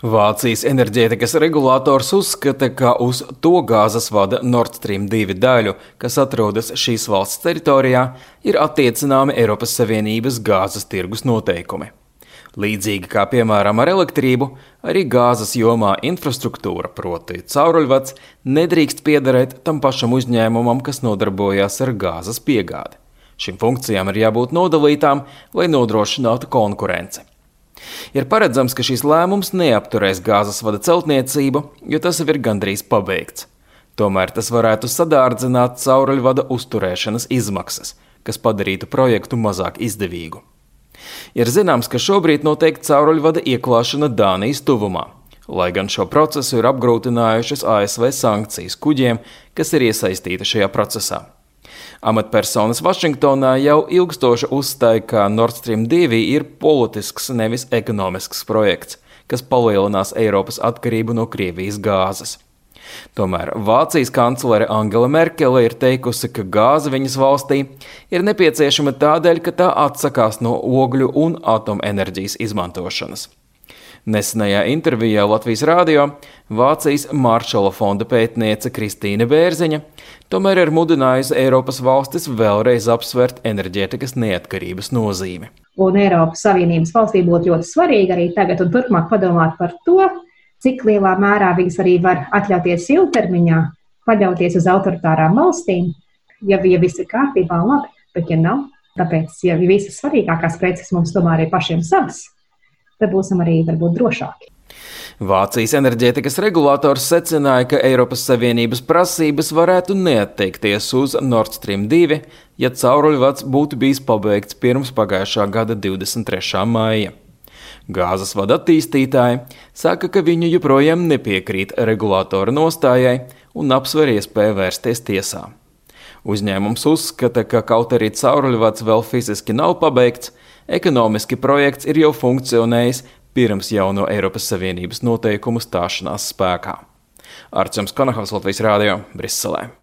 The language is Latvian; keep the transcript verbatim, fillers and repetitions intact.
Vācijas enerģētikas regulators uzskata, ka uz to gāzes vada Nord Stream divi daļu, kas atrodas šīs valsts teritorijā, ir attiecināmi Eiropas Savienības gāzes tirgus noteikumi. Līdzīgi kā piemēram ar elektrību, arī gāzes jomā infrastruktūra, proti cauruļvads, nedrīkst piederēt tam pašam uzņēmumam, kas nodarbojās ar gāzes piegādi. Šīm funkcijām ir jābūt nodalītām, lai nodrošinātu konkurenci. Ir paredzams, ka šis lēmums neapturēs gāzes vada celtniecību, jo tas jau ir gandrīz pabeigts. Tomēr tas varētu sadārdzināt cauruļvada uzturēšanas izmaksas, kas padarītu projektu mazāk izdevīgu. Ir zināms, ka šobrīd notiek cauruļvada ieklāšana Dānijas tuvumā, lai gan šo procesu ir apgrūtinājušas A S V sankcijas kuģiem, kas ir iesaistīti šajā procesā. Amatpersonas Vašingtonā jau ilgstoši uzstāja, ka Nord Stream divi ir politisks, nevis ekonomisks projekts, kas palielinās Eiropas atkarību no Krievijas gāzes. Tomēr Vācijas kanclere Angela Merkele ir teikusi, ka gāze viņas valstī ir nepieciešama tādēļ, ka tā atsakās no ogļu un atomenerģijas izmantošanas. Nesenajā intervijā Latvijas rādio Vācijas Maršala fonda pētniece Kristīne Bērziņa tomēr ir mudinājusi Eiropas valstis vēlreiz apsvērt enerģētikas neatkarības nozīmi. Un Eiropas Savienības valstī būtu ļoti svarīgi arī tagad un turpmāk padomāt par to, cik lielā mērā viņas arī var atļauties ilgtermiņā paļauties uz autoritārām valstīm, ja, ja viss ir kārtībā un labi, bet ja nav, tāpēc, ja visas svarīgākās preces mums tomēr ir pašiem savas, tad būsim arī varbūt drošāki. Vācijas enerģētikas regulators secināja, ka Eiropas Savienības prasības varētu neatteikties uz Nord Stream divi, ja cauruļvads būtu bijis pabeigts pirms pagājušā gada divdesmit trešā maija. Gāzes vada attīstītāji saka, ka viņi joprojām nepiekrīt regulatora nostājai un apsver iespēju vērsties tiesā. Uzņēmums uzskata, ka kaut arī cauruļvads vēl fiziski nav pabeigts, ekonomiski projekts ir jau funkcionējis pirms jauno Eiropas Savienības noteikumu stāšanās spēkā. Arčuns Konahovs, Latvijas rādio, Briselē.